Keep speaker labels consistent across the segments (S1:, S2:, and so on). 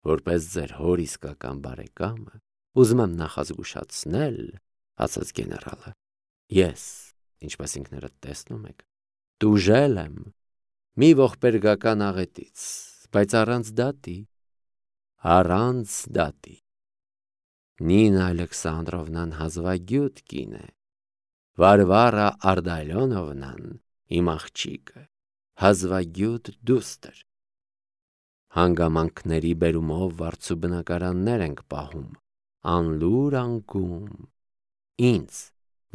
S1: որպես ձեր հոր իսկական բարեկամը, ուզում եմ նախազգուշացնել, ասաց գեներալը, ես, ինչպես ինքներդ տեսնում եք, տուժել եմ մի ողբերգական աղետից, բայց առանց դատի, Նինա Ալեքսանդրովնան հազվագյուտ կին է, Վարվարա Արդալյոնովնան իմ աղջիկը, հազվագյուտ դուստր, հանգամանքների բերումով վարձու բնակարաններ ենք պահում, անլուր անկում, ինձ,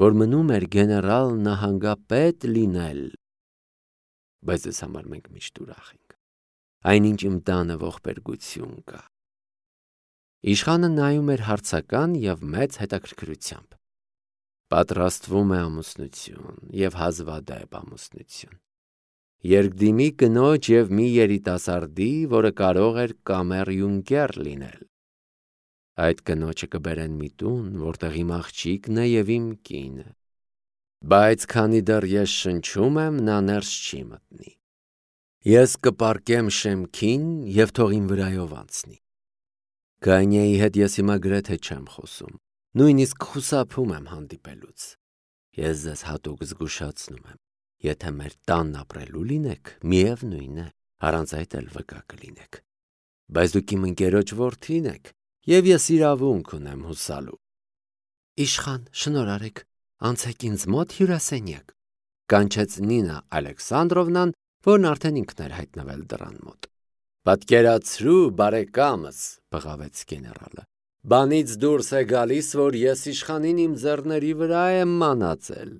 S1: որ մնում էր գեներալ նահանգապետ լինել, բայց ես համար մենք միշտ ուրախ ենք, այնինչ իմ տանը ողբերգություն կա։ Իշխանը նայում էր հարցական և մեծ հետաքրքրությամբ, պատրաստվում է ամուսնություն և հազվադեպ ամուսնություն, երկդիմի կնոջ և մի երիտասարդի, որը կարող էր կամեր-յունկեր լինել, այդ կնոջը կբերեն մի տուն, որտեղ իմ աղջիկն է և իմ կինը, բայց քանի դեռ ես շնչում եմ, նա ներս չի մտնի, ես կպառկեմ շեմքին և թող իմ վրայով անցնի, Գանյայի հետ ես հիմա գրեթե չեմ խոսում, նույնիսկ խուսափում եմ հանդիպելուց, ես ձեզ հատուկ զգուշացնում եմ, եթե մեր տանն ապրելու լինեք, միևնույն է, առանց այդ էլ վկա կլինեք, բայց դուք իմ ընկերոջ որդին եք, և ես իրավունք ունեմ հուսալու։ Իշխան, շնորհ արեք, անցեք ինձ մոտ հյուրասենյակ, կանչեց Նինա Ալեքսանդրովնան, որն արդեն ինքն էր հայտնվել դռան մոտ։ Պատկերացրու, բարեկամս, բղավեց գեներալը, բանից դուրս է գալիս, որ ես իշխանին իմ ձեռների վրա եմ մանածել։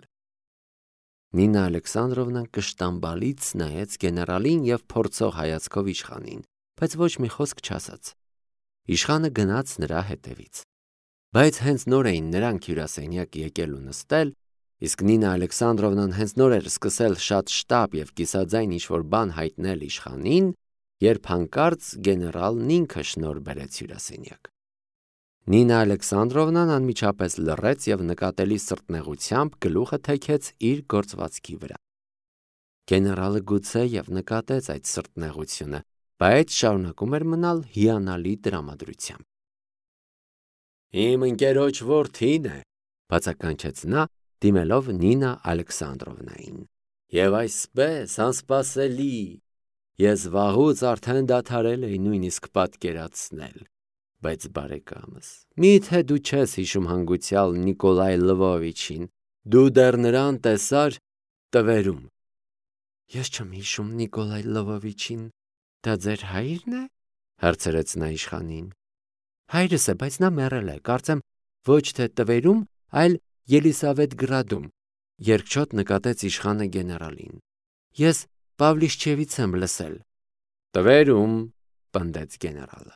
S1: Նինա Ալեքսանդրովնան կշտամբալից նայեց գեներալին և փորձող հայացքով իշխանին, բայց ոչ մի խոսք չասաց։ Իշխանը գնաց նրա հետևից, բայց հենց նոր էին նրանք հյուրասենյակ եկել ու նստել, իսկ Նինա Ալեքսանդրովնան հենց նոր էր սկսել շատ շտապ և կիսաձայն ինչ-որ բան հայտնել իշխանին, երբ հանկարծ գեներալն ինքը շնորհ բերեց հյուրասենյակ։ Նինա Ալեքսանդրովնան անմիջապես լռեց և նկատելի սրտնեղությամբ գլուխը թեքեց իր գործվածքի վրա։ Գեներալը գուցե և նկատեց այդ սրտնեղությունը, բայց շարունակում էր մնալ հիանալի տրամադրությամբ։ Իմ ընկերոջ որդին է, բացականչեց նա, դիմելով Նինա Ալեքսանդրովնային, և այսպես անսպասելի, ես վաղուց արդեն դադարել էի նույնիսկ պատկերացնել, բայց բարեկամս, միթե դու չես հիշում հանգուցյալ Նիկոլայ Լվովիչին, դու դեռ նրան տեսար տվերում։ Ես չեմ հիշում Նիկոլայ Լվովիչին, դա ձեր հայրն է, հարցրեց նա իշխանին։ Հայրս է, բայց նա մեռել է, կարծեմ ոչ թե տվերում, այլ Ելիսավետգրադում, երկչոտ նկատեց իշխանը գեներալին։ Ես Պավլիշչևից եմ լսել։ Տվերում, պնդեց գեներալը։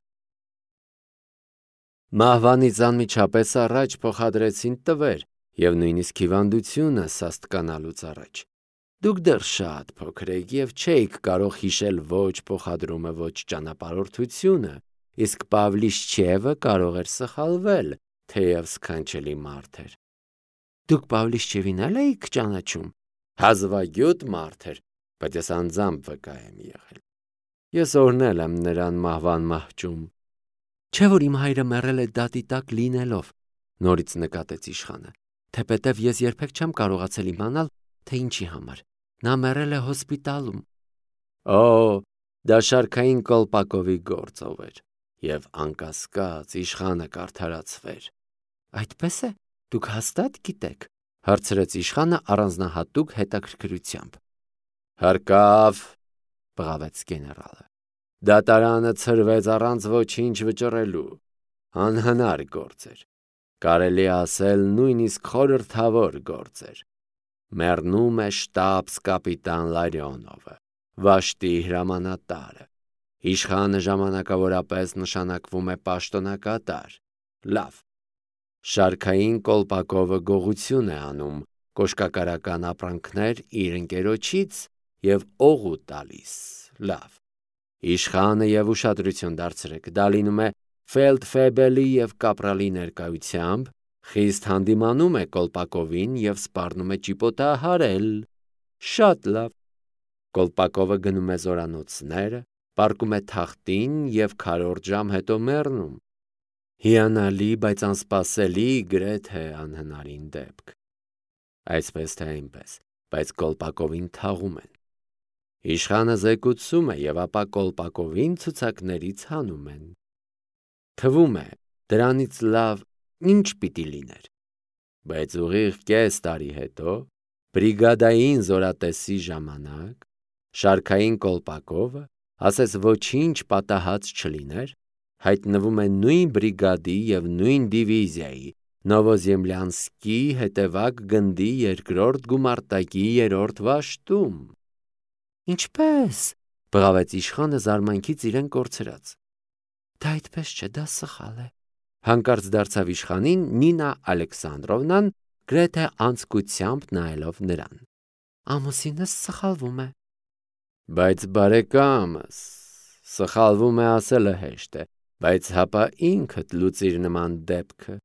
S1: Մահվանից անմիջապես առաջ փոխադրեցին տվեր և նույնիսկ հիվանդությունը սաստկանալուց առաջ։ Դուք դեռ շատ փոքր եք և չէիք կարող հիշել ոչ փոխադրումը, ոչ ճանապարհորդությունը, իսկ Պավլիշչևը կարող էր սխալվել, թեև սքանչելի մարդ էր։ Դուք Պավլիշչևին էլ էիք ճանաչում։ Հազվագյուտ մարդ էր, բայց ես անձամբ վկա եմ եղել։ Ես օրհնել եմ նրան մահվան մահճում։ Չէ՞ որ իմ հայրը մեռել է դատի տակ լինելով, նորից նկատեց իշխանը, թեպետև ես երբեք չեմ կարողացել իմանալ, թե ինչի համար։ Նա մեռել է հոսպիտալում։ Օ, դա Շարքային Կոլպակովի գործով էր, և անկասկած իշխանը կարդարացվեր։ Այդպես է, դուք հաստատ գիտեք, հարցրեց իշխանը առանձնահատուկ հետաքրքրությամբ։ Հարկավ, բղավեց գեներալը։ Դատարանը ցրվեց առանց ոչինչ վճռելու, անհնար գործ էր, կարելի ասել նույնիսկ խորհրդավոր գործ էր։ Մեռնում է շտաբս-կապիտան Լարիոնովը, վաշտի հրամանատարը, իշխանը ժամանակավորապես նշանակվում է պաշտոնակատար, լավ, Շարքային Կոլպակովը գողություն է անում, կոշկակարական ապրանքներ իր ընկերոջից և օղու տալիս, լավ, իշխանը և ուշադրություն դարձրեք, դա լինում է ֆելդֆեբելի և կապրալի ներկայությամբ, խիստ հանդիմանում է Կոլպակովին և սպառնում է ճիպոտահարել, շատ լավ, Կոլպակովը գնում է զորանոցները, պառկում է թախտին և քառորդ ժամ հետո մեռնում։ Հիանալի, բայց անսպասելի, գրեթե անհնարին դեպք։ Այսպես թե այնպես, բայց կոլպակովին թաղում են։ Իշխանը զեկուցում է և ապա կոլպակովին ցուցակներից հանում են։ Թվում է, դրանից լավ ինչ պիտի լիներ։ Բայց ուղիղ կես տարի հետո, բրիգադային զորատեսի ժամանակ, շարքային կոլպակովը, ասես ոչինչ պատահած չլիներ, հայտնվում է նույն բրիգադի և նույն դիվիզիայի Նովոզեմլյանսկի հետևակ գնդի երկրորդ գումարտակի երրորդ վաշտում։ Ինչպե՞ս, բղավեց իշխանը զարմանքից իրեն կորցրած։ Դա այդպես չէ, դա սխալ է։ Հանկարծ դարձավ իշխանին Նինա Ալեքսանդրովնան, գրեթե անձկությամբ նայելով նրան։ Ամուսինս սխալվում է։ Բայց բարեկամս, սխալվում է ասելը հեշտ է, բայց հապա ինքդ լուծիր նման դեպքը։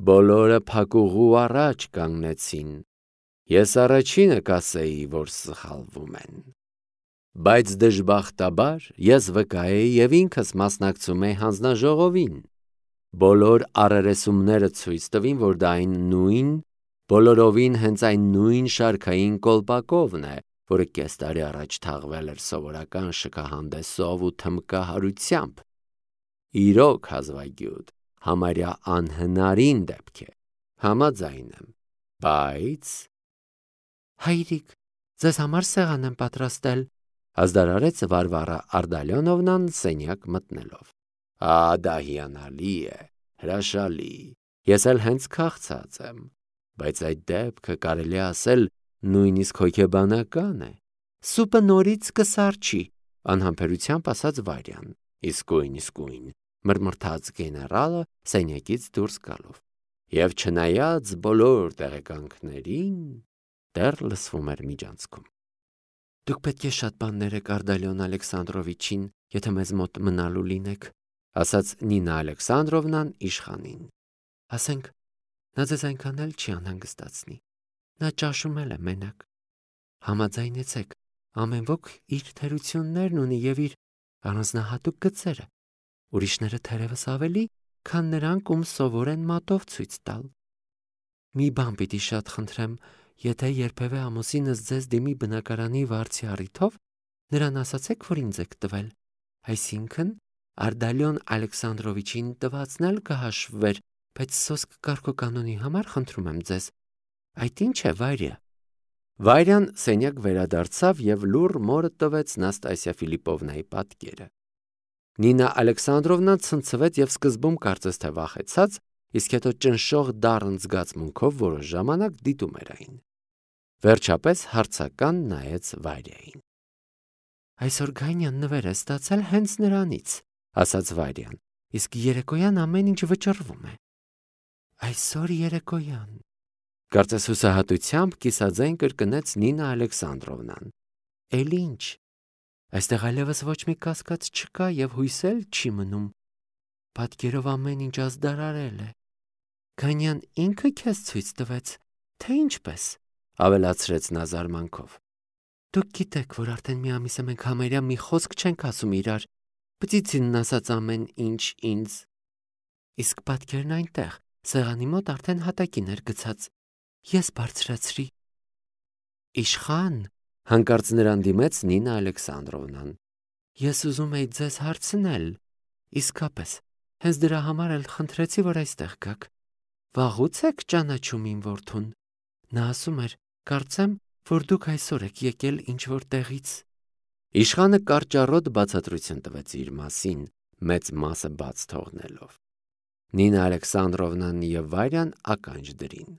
S1: Բոլորը փակուղու առաջ կանգնեցին։ Ես առաջինը կասեի, որ սխալվում են։ Բայց դժբախտաբար ես վկա էի և ինքս մասնակցում էի հանձնաժողովին։ Բոլոր առերեսումները ցույց տվին, որ դա այն նույն, բոլորովին հենց այն նույն շարքային կոլպակովն է, որը կես տարի առաջ թաղվել էր սովորական շքահանդեսով ու թմբկահարությամբ։ Իրոք հազվագյուտ, համարյա անհնարին դեպք է, համաձայն եմ, բայց… Հայրիկ, ձեզ համար սեղան եմ պատրաստել, ազդարարեց Վարվարա Ардալյոնովնան սենյակ մտնելով։ Դա հիանալի է, հրաշալի, ես էլ հենց քաղցած եմ, բայց այդ դեպքը կարելի է ասել նույնիսկ հոգեբանական է։ Սուպը նորից կսառչի, անհամբերությամբ ասաց Վարյան։ Իսկույն, մրմրթաց գեներալը սենյակից դուրս գալով։ Եվ չնայած բոլոր տեղեկանքներին, դեռ լսվում էր միջանցքում։ Դուք պետք է շատ բաներ եք Ардալյոն Ալեքսանդրովիչին, եթե մեզ մոտ մնալու լինեք, ասաց Նինա Ալեքսանդրովնան իշխանին։ Ասենք, նա ձեզ այնքան էլ չի անհանգստացնի։ Նա ճաշում էլ է մենակ։ Համաձայնեցեք, ամեն ոք իր թերություններն ունի և իր առանձնահատուկ գծերը։ Ուրիշները թերևս ավելի, քան նրանք, ում սովոր են մատով ցույց տալ։ Մի բան պիտի շատ խնդրեմ, եթե երբևէ ամուսինս ձեզ դիմի բնակարանի վարձի առիթով, նրան ասացեք, որ ինձ եք տվել, այսինքն Ардալյոն Ալեքսանդրովիչին տվածն էլ կհաշվվեր, բայց սոսկ կարգոկանոնի համար խնդրում եմ ձեզ։ Այդ ինչ է, Վարյա։ Վարյան սենյակ վերադարձավ և լուռ մորը տվեց Նաստասիա Ֆիլիպովնայի պատկերը։ Նինա Ալեքսանդրովնան ցնցվեց և սկզբում կարծես թե վախեցած, իսկ հետո ճնշող դառն զգացմունքով որոշ ժամանակ դիտում էր այն։ Վերջապես հարցական նայեց Վարյային։ Այսօր Գանյան նվեր է ստացել հենց նրանից, ասաց Վարյան, իսկ երեկոյան ամեն ինչ վճռվում է։ Այսօր երեկոյան, կարծես հուսահատությամբ կիսաձայն կրկնեց Նինա Ալեքսանդրովնան։ Էլ ինչ։ Այստեղ այլևս ոչ մի կասկած չկա և հույս էլ չի մնում։ Պատկերով ամեն ինչ ազդարարել է։ Գանյան ինքը քեզ ցույց տվեց, թե ինչպես, ավելացրեց նա զարմանքով։ Դուք գիտեք, որ արդեն մի ամիս է մենք համարյա մի խոսք չենք ասում իրար, բծիցին ասաց ամեն ինչ ինձ։ Իսկ պատկերն այնտեղ, սեղանի մոտ արդեն հատակին էր գցած։ Ես բարձրացրի։ Իշխան, հանկարծ նրան դիմեց Նինա Ալեքսանդրովնան։ Ես ուզում էի ձեզ հարցնել, իսկապես, հենց դրա համար էլ խնդրեցի, որ այստեղ գաք։ Վաղուց եք ճանաչում իմ որդուն։ Նա ասում էր, կարծեմ, որ դուք այսօր եք եկել ինչ-որ տեղից։ Իշխանը կարճառոտ բացատրություն տվեց իր մասին, մեծ մասը բաց թողնելով։ Նինա Ալեքսանդրովնան և Վարյան ականջ դրին։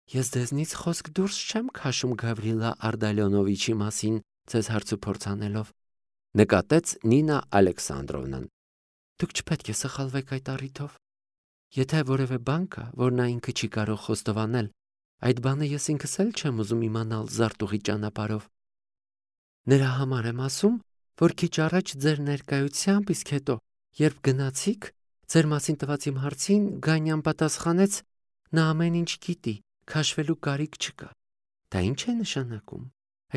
S1: Ես ձեզնից խոսք դուրս չեմ քաշում Գավրիլա Ардալյոնովիչի մասին ձեզ հարցուփորձ անելով, նկատեց Նինա Ալեքսանդրովնան։ Դուք չպետք է սխալվեք այդ առիթով։ Եթե որևէ բան կա, որ նա ինքը չի կարող խոստովանել, այդ բանը ես ինքս էլ չեմ ուզում իմանալ զարտուղի ճանապարհով։ Նրա համար եմ ասում, որ քիչ առաջ ձեր ներկայությամբ, իսկ հետո, երբ գնացիք, ձեր մասին տված իմ հարցին Գանյան պատասխանեց, նա ամեն ինչ գիտի, քաշվելու կարիք չկա։ Դա ինչ է նշանակում։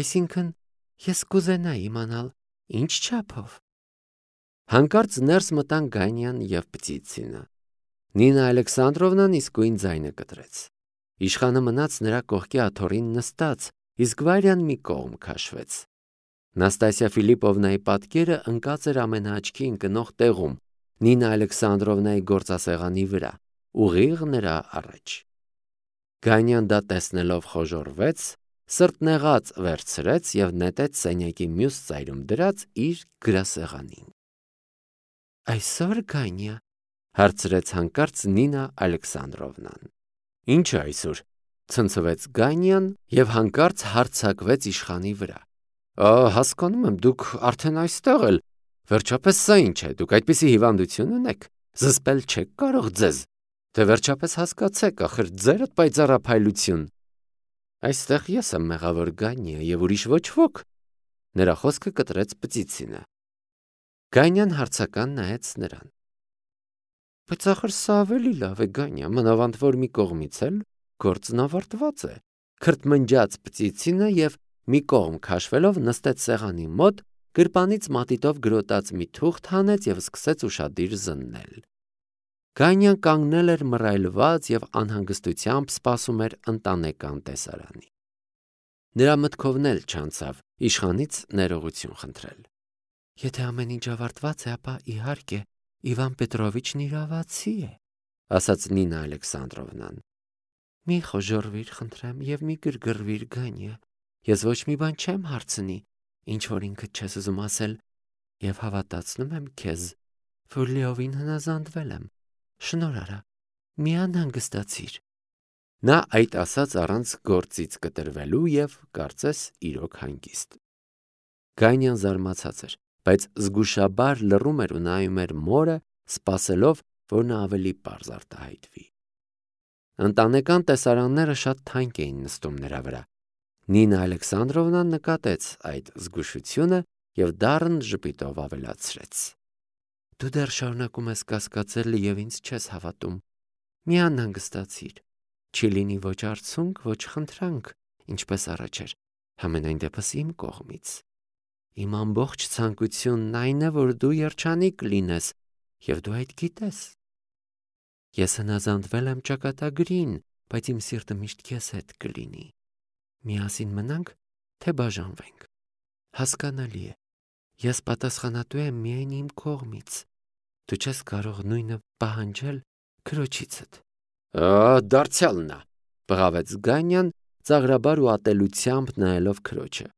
S1: Այսինքն, ես կուզենայի իմանալ, Ինչ չափով։ Հանկարծ ներս մտան Գանյան և Պտիցինը։ Նինա Ալեքսանդրովնան իսկույն ձայնը կտրեց։ Իշխանը մնաց նրա կողքի աթոռին նստած, իսկ Վարյան մի կողմ քաշվեց։ Նաստասիա Ֆիլիպովնայի պատկերը ընկած էր ամենաաչքի ընկնող տեղում, Նինա Ալեքսանդրովնայի գործասեղանի վրա, ուղիղ նրա առաջ։ Գանյան դա տեսնելով խոժոռվեց, սրտնեղած վերցրեց և նետեց սենյակի մյուս ծայրում դրած իր գրասեղանին։ Այսօր, Գանյա, հարցրեց հանկարծ Նինա Ալեքսանդրովնան։ Ի՞նչը այսօր, ցնցվեց Գանյան և հանկարծ հարձակվեց իշխանի վրա։ Հասկանում եմ, դուք արդեն այստեղ էլ, վերջապես սա ինչ է, դուք այդպիսի հիվանդություն ունեք, զսպել չեք կարող ձեզ, թե վերջապես հասկացեք, ախր ձերդ պայծառափայլություն։ Այստեղ ես եմ մեղավոր, Գանյա, և ուրիշ ոչ ոք, նրա խոսքը կտրեց Պտիցինը։ Գանյան հարցական նայեց նրան։ Բայց ախր սա ավելի լավ է, Գանյա, մանավանդ որ մի կողմից էլ գործն ավարտված է, քրթմնջաց Պտիցինը և մի կողմ քաշվելով նստեց սեղանի մոտ, գրպանից մատիտով գրոտած մի թուղթ հանեց և սկսեց ուշադիր զննել։ Գանյան կանգնել էր մռայլված և անհանգստությամբ սպասում էր ընտանեկան տեսարանի։ Նրա մտքովն էլ չանցավ իշխանից ներողություն խնդրել։ Եթե ամեն ինչ ավարտված է, ապա իհարկե Իվան Պետրովիչն իրավացի է, ասաց Նինա Ալեքսանդրովնան։ Մի խոժոռվիր, խնդրեմ, և մի գրգռվիր, Գանյա, ես ոչ մի բան չեմ հարցնի, ինչ որ ինքդ չես ուզում ասել, և հավատացնում եմ քեզ, որ լիովին հնազանդվել եմ, շնորհ արա, մի անհանգստացիր։ Նա այդ ասաց առանց գործից կտրվելու և կարծես իրոք հանգիստ։ Գանյան զարմացած էր, բայց զգուշաբար լռում էր ու նայում էր մորը, սպասելով, որ նա ավելի պարզ արտահայտվի։ Ընտանեկան տեսարանները շատ թանկ էին նստում նրա վրա։ Նինա Ալեքսանդրովնան նկատեց այդ զգուշությունը և դառն ժպիտով ավելացրեց. Դու դեռ շարունակում ես կասկածել և ինձ չես հավատում։ Մի անհանգստացիր։ Չի լինի ոչ արցունք, ոչ խնդրանք, ինչպես առաջ էր, համենայն դեպս իմ կողմից։ Իմ ամբողջ ցանկությունն այն է, որ դու երջանիկ լինես, և դու այդ գիտես։ Ես հնազանդվել եմ ճակատագրին, բայց իմ սիրտը միշտ քեզ հետ կլինի։ Միասին մնանք, թե բաժանվենք։ Հասկանալի է։ Ես պատասխանատու եմ միայն իմ կողմից։ Դու չես կարող նույնը պահանջել քրոջիցդ։ Դարձյալ նա, բղավեց Գանյան, ծաղրաբար ու ատելությամբ նայելով քրոջը։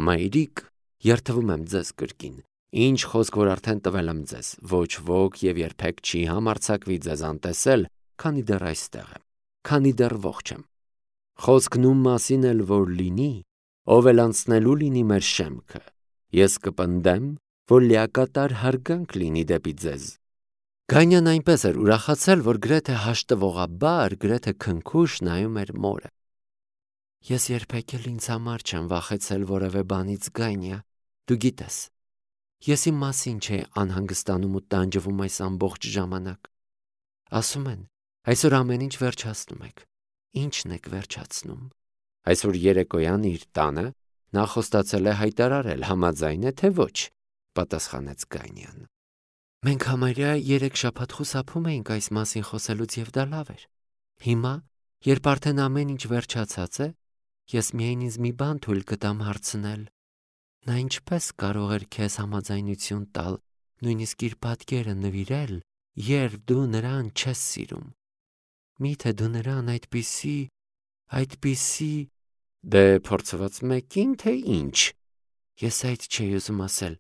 S1: Մայրիկ, երդվում եմ ձեզ կրկին, ինչ խոսք որ արդեն տվել եմ ձեզ, ոչ ոք և երբեք չի համարձակվի ձեզ անտեսել, քանի դեռ այստեղ եմ, քանի դեռ ողջ եմ։ Խոսքն ում մասին էլ որ լինի, ով էլ անցնելու լինի մեր շեմքը, ես կպնդեմ, որ լիակատար հարգանք լինի դեպի ձեզ։ Գանյան այնպես էր ուրախացել, որ գրեթե հաշտվողաբար, գրեթե քնքուշ նայում էր մորը։ Ես երբեք էլ ինձ համար չեմ վախեցել որևէ բանից, Գանյա, դու գիտես։ Ես իմ մասին չէի անհանգստանում ու տանջվում այս ամբողջ ժամանակ։ Ասում են, այսօր ամեն ինչ վերջացնում եք։ Ինչն եք վերջացնում։ Այսօր երեկոյան իր տանը նա խոստացել է հայտարարել, համաձայն է թե ոչ, պատասխանեց Գանյան։ Մենք համարյա 3 շաբաթ խուսափում էինք այս մասին խոսելուց և դա լավ էր։ Հիմա, երբ արդեն ամեն ինչ վերջացած է, ես միայն ինձ մի բան թույլ կտամ հարցնել։ Նա ինչպես կարող էր քեզ համաձայնություն տալ, նույնիսկ իր պատկերը նվիրել, երբ դու նրան չես սիրում։ Միթե դու նրան այդպիսի… Դե փորձված մեկին, թե ինչ։ Ես այդ չէի ուզում ասել։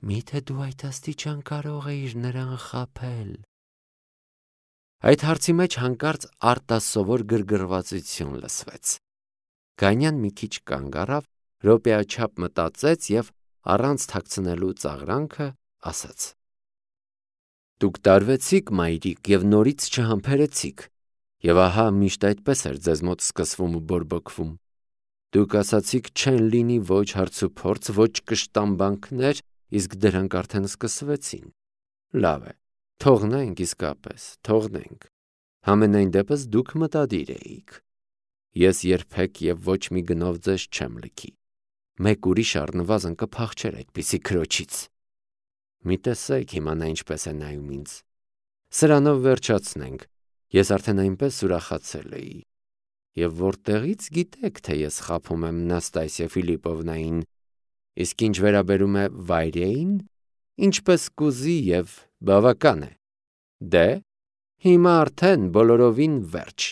S1: Միթե դու այդ աստիճան կարող էիր նրան խաբել։ Այդ հարցի մեջ հանկարծ արտասովոր գրգռվածություն լսվեց։ Գանյան մի քիչ կանգ առավ, րոպեաչափ մտածեց և առանց թաքցնելու ծաղրանքը ասաց. Դուք տարվեցիք, մայրիկ, և նորից չհամբերեցիք, և ահա միշտ այդպես էր ձեզ մոտ սկսվում ու բորբոքվում։ Դուք ասացիք չեն լինի ոչ հարցուփորձ, ոչ կշտամբանքներ, իսկ դրանք արդեն սկսվեցին։ Լավ է, թողնենք իսկապես, թողնենք։ Համենայն դեպս դուք մտադիր էիք։ Ես երբեք և ոչ մի գնով ձեզ չեմ լքի։ մեկ ուրիշ առնվազն կփախչեր այդպիսի քրոջից։ Մի տեսեք հիմա նա ինչպես է նայում ինձ։ Սրանով վերջացնենք, ես արդեն այնպես ուրախացել էի։ Եվ որտեղից գիտեք, թե ես խաբում եմ Նաստասիա Ֆիլիպովնային, իսկ ինչ վերաբերում է Վայրեին, ինչպես կուզի և բավական է։ Դե, հիմա արդեն բոլորովին վերջ։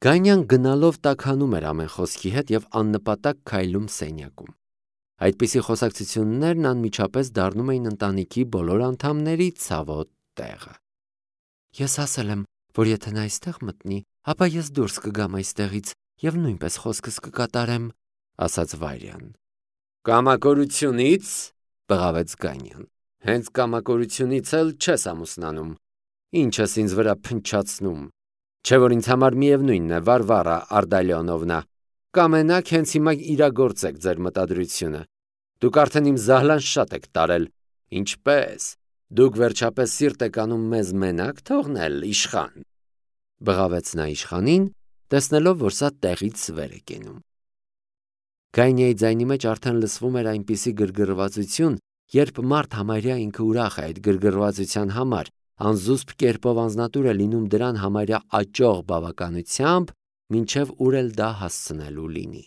S1: Գանյան գնալով տաքանում էր ամեն խոսքի հետ և աննպատակ քայլում սենյակում։ Այդպիսի խոսակցություններն անմիջապես դառնում էին ընտանիքի բոլոր անդամների ցավոտ տեղը։ Ես ասել եմ, որ եթե նա այստեղ մտնի, ապա ես դուրս կգամ այստեղից և նույնպես խոսքս կկատարեմ, ասաց Վայրյան։ Կամակորությունից, բղավեց Գանյան։ Հենց կամակորությունից էլ չես ամուսնանում։ Ինչս ինձ վրա փնչացնում։ Չէ որ ինձ համար միևնույնն է, Վարվարա Արդալիոնովնա, կամենաք հենց հիմա իրագործեք ձեր մտադրությունը։ Դուք արդեն իմ զահլան շատ եք տարել։ Ինչպես։ Դուք վերջապես սիրտ եք անում մեզ մենակ թողնել, իշխան։ Բղավեց նա իշխանին, տեսնելով, որ սա տեղից վեր է կենում։ Գայնիայի ձայնի մեջ արդեն լսվում էր այնպիսի գրգռվածություն, երբ մարդ համարյա ինքը ուրախ է այդ գրգռվածության համար, անզուսպ կերպով անձնատուր է լինում դրան համարյա աճող բավականությամբ, մինչև ուր էլ դա հասցնելու լինի։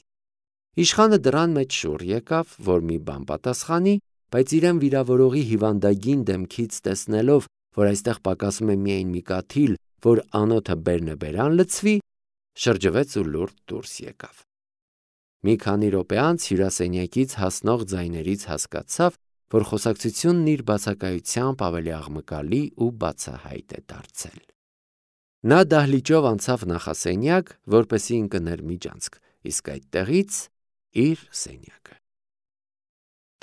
S1: Իշխանը դռան մեջ շուռ եկավ, որ մի բան պատասխանի, բայց իրեն վիրավորողի հիվանդագին դեմքից տեսնելով, որ այստեղ պակասում է միայն մի կաթիլ, որ անոթը բերնբերան լցվի, շրջվեց ու լուրջ դուրս եկավ։ Մի քանի րոպե անց հյուրասենյակից հասնող ձայներից հասկացավ, որ խոսակցությունն իր բացակայությամբ ավելի աղմկալի ու բացահայտ է դարձել։ Նա դահլիճով անցավ նախասենյակ, որպեսզի ընկներ միջանցք, իսկ այդտեղից իր սենյակը։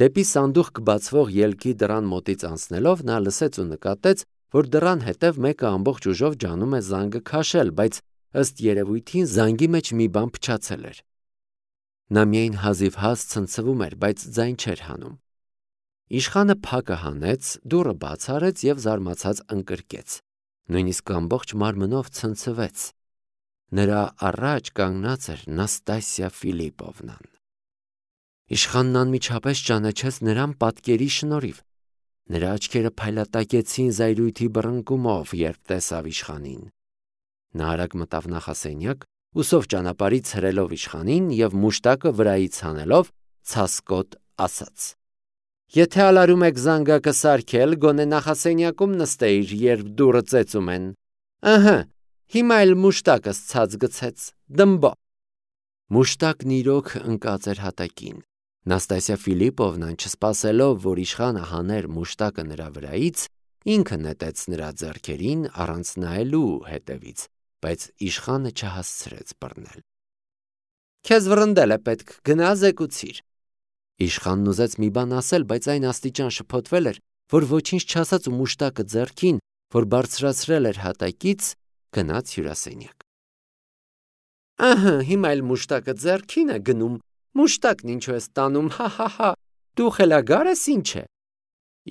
S1: Դեպի սանդուղք բացվող ելքի դռան մոտից անցնելով նա լսեց ու նկատեց, որ դռան հետև մեկը ամբողջ ուժով ջանում է զանգը քաշել, բայց ըստ երևույթին զանգի մեջ մի բան փչացել էր։ Նա միայն հազիվ-հազ ցնցվում էր, բայց ձայն չէր հանում։ Իշխանը փակը հանեց, դուռը բաց արեց և զարմացած ընկրկեց։ Նույնիսկ ամբողջ մարմնով ցնցվեց։ Նրա առաջ կանգնած էր Նաստասիա Ֆիլիպովնան։ Իշխանն անմիջապես ճանաչեց նրան պատկերի շնորհիվ։ Նրա աչքերը փայլատակեցին զայրույթի բռնկումով, երբ տեսավ իշխանին։ Նա արագ մտավ նախասենյակ, ուսով ճանապարհից հրելով իշխանին և մուշտակը վրայից հանելով ցասկոտ ասաց. Եթե ալարում եք զանգակը սարքել, գոնե նախասենյակում նստեիր, երբ դուռը ծեծում են։ Ըհը, հիմա էլ մուշտակս ցած գցեց, դմբո։ Մուշտակն իրոք ընկած էր հատակին։ Նաստասիա Ֆիլիպովնան, չսպասելով, որ իշխանը հաներ մուշտակը նրա վրայից, ինքը նետեց նրա ձեռքերին առանց նայելու հետևից, բայց իշխանը չհասցրեց բռնել։ Քեզ վռնդել է պետք, գնա զեկուցիր։ Իշխանն ուզեց մի բան ասել, բայց այն աստիճան շփոթվել էր, որ ոչինչ չասաց ու մուշտակը ձեռքին, որ բարձրացրել էր հատակից, գնաց հյուրասենյակ։ Ահա, հիմա էլ մուշտակը ձեռքին է գնում, մուշտակն ինչու ես տանում, հա, դու խելագար ես ինչ է։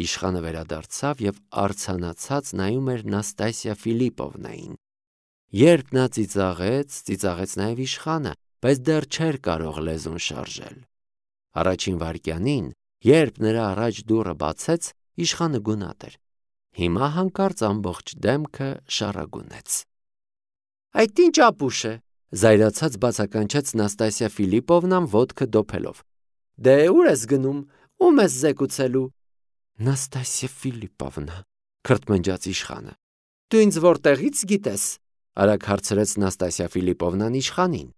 S1: Իշխանը վերադարձավ և արձանացած նայում էր Նաստասիա Ֆիլիպովնային։ Երբ նա ծիծաղեց նաև իշխանը, բայց դեռ չէր կարող լեզուն շարժել։ Առաջին վայրկյանին, երբ նրա առաջ դուռը բացեց, իշխանը գունատ էր։ Հիմա հանկարծ ամբողջ դեմքը շառագունեց։ Այդ ինչ ապուշ է, զայրացած բացականչեց Նաստասիա Ֆիլիպովնան ոտքը դոփելով։ Դե ուր ես գնում, ում ես զեկուցելու։ Նաստասիա Ֆիլիպովնա, քրթմնջաց իշխանը։ Դու ինձ որտեղից գիտես, արագ հարցրեց Նաստասիա Ֆիլիպովնան իշխանին։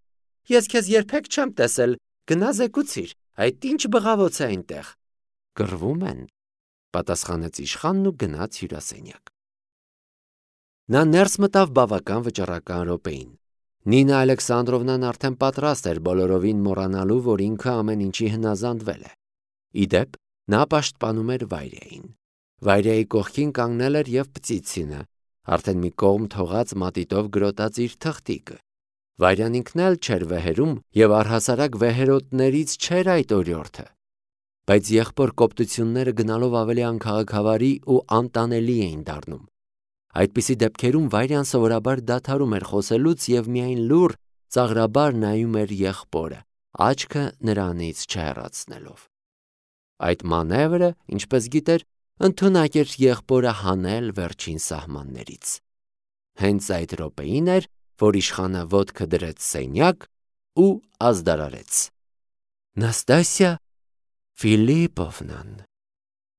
S1: Ես քեզ երբեք չեմ տեսել, գնա զեկուցիր, այդ ինչ բղավոց է այնտեղ։ Կռվում են, պատասխանեց իշխանն ու գնաց հյուրասենյակ։ Նա ներս մտավ բավական վճռական րոպեին։ Նինա Ալեքսանդրովնան արդեն պատրաստ էր բոլորովին մոռանալու, որ ինքը ամեն ինչի հնազանդվել է։ Ի դեպ, նա պաշտպանում էր Վայրեին։ Վայրեի կողքին կանգնել էր և Պծիցինը, արդեն մի կողմ թողած մատիտով գրոտած իր թղթիկը։ Վայրյան ինքն էլ չէր վեհերում և առհասարակ վեհերոտներից չէր այդ օրիորդը։ Բայց եղբոր կոպտությունները գնալով ավելի անքաղաքավարի ու անտանելի էին դառնում։ Այդպիսի դեպքերում Վայրյան սովորաբար դադարում էր խոսելուց և միայն լուռ, ծաղրաբար նայում էր եղբորը, աչքը նրանից չհեռացնելով։ Այդ մանևրը, ինչպես գիտեր, ընդունակ էր եղբորը հանել վերջին սահմաններից։ Հենց այդ րոպեին էր, որ իշխանը ոտքը դրեց սենյակ ու ազդարարեց. Նաստասիա Ֆիլիպովնան,